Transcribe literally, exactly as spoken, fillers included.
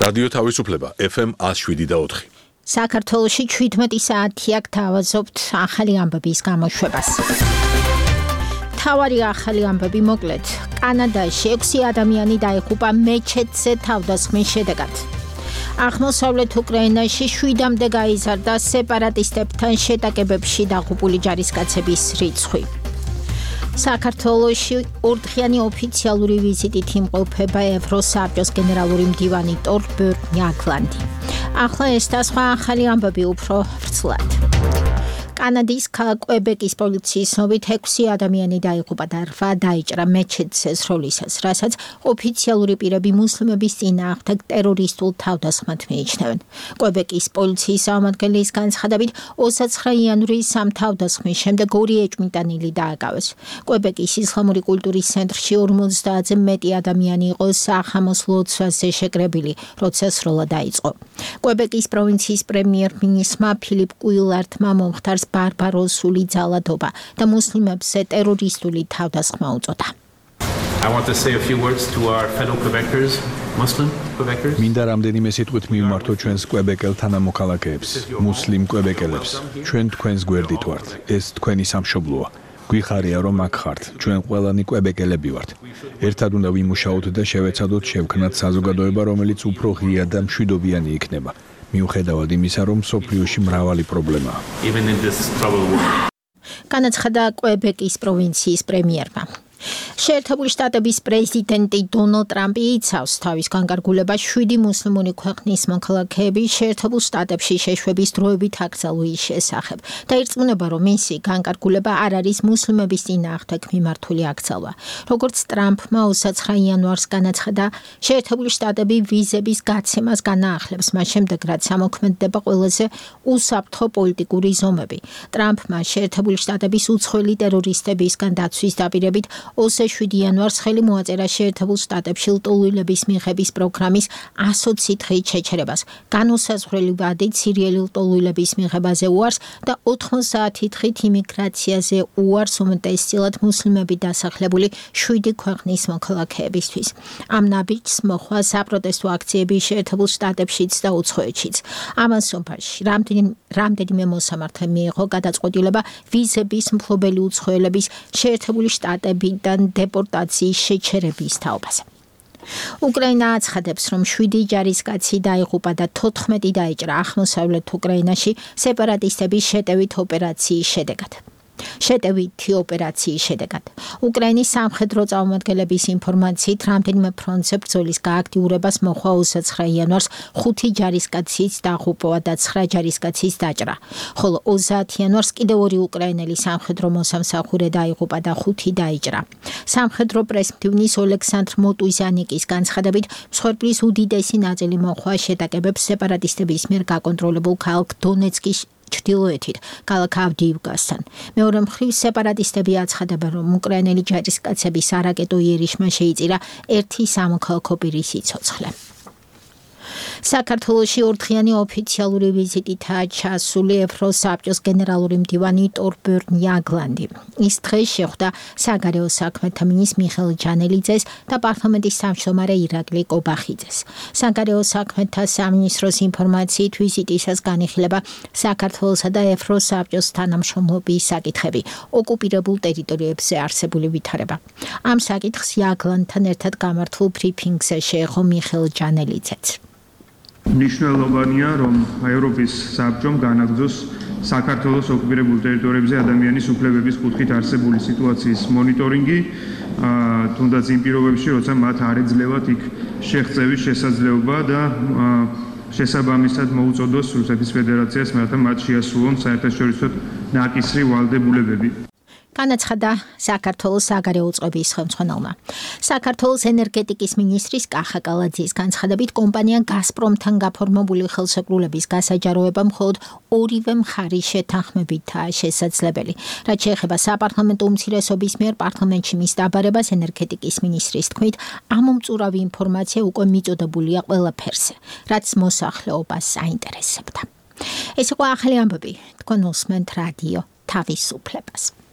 რადიო თავისუფლება F M one oh seven და four. საქართველოში შვიდმეტი საათი აქ თავაზობთ ახალი ამბების გამოშვებას. თავარი ახალი ამბები მოკლედ. კანადაში ექვსი ადამიანი დაიღუპა მეჩეთზე თავდასხმის შედეგად. აღმოსავლეთ უკრაინაში შვიდამდე გაიზარდა სეპარატისტებთან შეტაკებებში დაღუპული ჯარისკაცების რიცხვი. საქართველოში ორდღიანი ოფიციალური ვიზიტით იმყოფება ევროსაბჭოს გენერალური მდივანი ტორბერნ იაგლანდი. ახლა ეს და სხვა ახალი ამბები უფრო ვრცლად. კანადის ქალაქ კვებეკის პოლიციის ცნობით ექვსი ადამიანი დაიღუპა და რვა დაიჭრა მეჩეთზე სროლისას, რასაც ოფიციალური პირები მუსლიმების წინააღმდეგ ტერორისტულ თავდასხმად მიიჩნევენ. კვებეკის პოლიციის წარმომადგენლის განცხადებით, ოცდაცხრა იანვრის სამ თავდასხმის შემდეგ ორი ეჭვმიტანილი დააკავეს. კვებეკის ისლამური კულტურის ცენტრში ორმოცდაათზე მეტი ადამიანი იყო სახამოს ლოცვაზე შეკრებილი, როცა სროლა დაიწყო. კვებეკის პროვინციის პრემიერ-მინისტრმა ფილიპ კუილარტმა მომხდარს ბარბაროსული ძალადობა და მუსლიმებზე ტერორისტული თავდასხმა უწოდა. I want to say a few words to our fellow Quebecers, Muslim Quebecers. მინდა რამდენიმე სიტყვით მივმართო ჩვენს კვებეკელ თანამოქალაქეებს, მუსლიმ კვებეკელებს. ჩვენ თქვენს გვერდით ვართ. ეს თქვენი სამშობლოა. გვიხარია რომ აქ ხართ. ჩვენ ყველანი კვებეკელები ვართ. ერთად უნდა ვიმუშაოთ და შევეცადოთ შევქმნათ საზოგადოება, რომელიც უფრო ღია და მშვიდობიანი იქნება. მიუხედავად იმისა, რომ სოფლიოში მრავალი პრობლემაა. Even in this troubled world. განაცხადა კვებეკის პროვინციის პრემიერმა. შეერთებული შტატების პრეზიდენტი დონალდ ტრამპი იცავს თავის განკარგულებას შვიდი მუსლიმური ქვეყნის მოქალაქეების შეერთებულ შტატებში შეშვების დროებით აკრძალვის შესახებ და ირწმუნება, რომ მისი განკარგულება არ არის მუსლიმების წინააღმდეგ მიმართული აკრძალვა. როგორც ტრამპმა ოცდაცხრა იანვარს განაცხადა, შეერთებული შტატები ვიზების გაცემას განაახლებს, მას შემდეგ რაც ამოქმედდება ყველაზე უსაფრთხო პოლიტიკური ზომები. ტრამპმა შეერთებული შტატების უცხოელი ტერორისტებისგან დაცვის დაპირებით ოცდაშვიდი იანვარს ხელი მოაწერა შეერთებულ შტატებში ლტოლვილების მიღების პროგრამის ასოცი დღით შეჩერებას. განუსაზღვრელი ვადით სირიელი ლტოლვილების მიღებაზე უარს და ოთხმოცდაათი დღით იმიგრაციაზე უარს უმეტესწილად მუსლიმები დასახლებული შვიდი ქვეყნის მოქალაქეებისთვის. ამ ნაბიჯს მოხვა საპროტესტო აქციები შეერთებულ შტატებშიც და უცხოეთშიც. ამას სოფაში რამდენიმე მოსამართლე მიიღო გადაწყვეტილება ვიზების მფლობელი უცხოელების შეერთებული შტატები დეპორტაციის შეჩერების თაობაზე. უკრაინა აცხადებს, რომ შვიდი ჯარისკაცი დაიღუპა და თოთხმეტი დაიჭრა აღმოსავლეთ უკრაინაში სეპარატისტების შეტევით ოპერაციის შედეგად. შეტევითი ოპერაციის შედეგად. უკრაინის სამხედრო წარმომადგენლების ინფორმაციით, რამდენიმე ფრონტზე ბრძოლის გააქტიურებას მოხდა ოცდაცხრა იანვარს ხუთი ჯარისკაცის დაღუპვა და ცხრა ჯარისკაცის დაჭრა, ხოლო ოცდაათი იანვარს კიდევ ორი უკრაინელი სამხედრო მოსამსახურე დაიღუპა და ხუთი დაიჭრა. სამხედრო პრესმდივნის ოლექსანდრ მოტუზიანიკის განცხადებით, მსხვერპლის უდიდესი ნაწილი მოხდა შეტაკებებს სეპარატისტების მიერ გაკონტროლებულ ქალაქ დონეცკის ჩრდილოეთით, ქალაქ ავდიივკასთან. მეორე მხრივ სეპარატისტები აცხადებენ, რომ უკრაინელი ჯარისკაცების არაკეტო იერიშმა შეიწირა ერთი სამოქალაქო პირის სიცოცხლე. საქართველოში ორდღიანი ოფიციალური ვიზიტითაა ჩასული ევროსაბჭოს გენერალური მდივანი ტორბერნ იაგლანდი. ის დღეს შეხვდა საგარეო საქმეთა მინისტრ მიხეილ ჯანელიძეს და პარლამენტის თავმჯდომარე ირაკლი კობახიძეს. საგარეო საქმეთა სამინისტროს ინფორმაციით ვიზიტისას განიხილება საქართველოსა და ევროსაბჭოს თანამშრომლობის საკითხები, ოკუპირებულ ტერიტორიებზე არსებული ვითარება. ამ საკითხს იაგლანდთან ერთად გამართულ ბრიფინგზე შეეხო მიხეილ ჯანელიძეც. მნიშვნელოვანია, რომ ევროპის საბჭომ განაგრძოს საქართველოს ოკუპირებულ ტერიტორიებზე ადამიანის უფლებების კუთხით არსებული სიტუაციის მონიტორინგი, თუნდაც იმ პირობებში, როცა მათ არ ეძლევათ იქ შეღწევის შესაძლებლობა და შესაბამისად მოუწოდოს რუსეთის ფედერაციას, რათა მათ შეასრულონ საერთაშორისო ნაკისრი ვალდებულებები. განაცხადა საქართველოს საგარეო წყობის ხელმძღვანელმა. საქართველოს ენერგეტიკის მინისტრის კახა კალაძის განცხადებით, კომპანია გაზპრომთან გაფორმებული ხელშეკრულების გასაჯაროება მხოლოდ ორივე მხარის შეთანხმებითაა შესაძლებელი. რაც შეეხება საპარლამენტო უმცირესობის მიერ პარლამენტში მის დაბარებას, ენერგეტიკის მინისტრის თქმით, ამომწურავი ინფორმაცია უკვე მიწოდებულია ყველაფერზე, რაც მოსახლეობას აინტერესებდა. ეს იყო ახალი ამბები, თქვენ უსმენთ რადიო თავისუფლებას.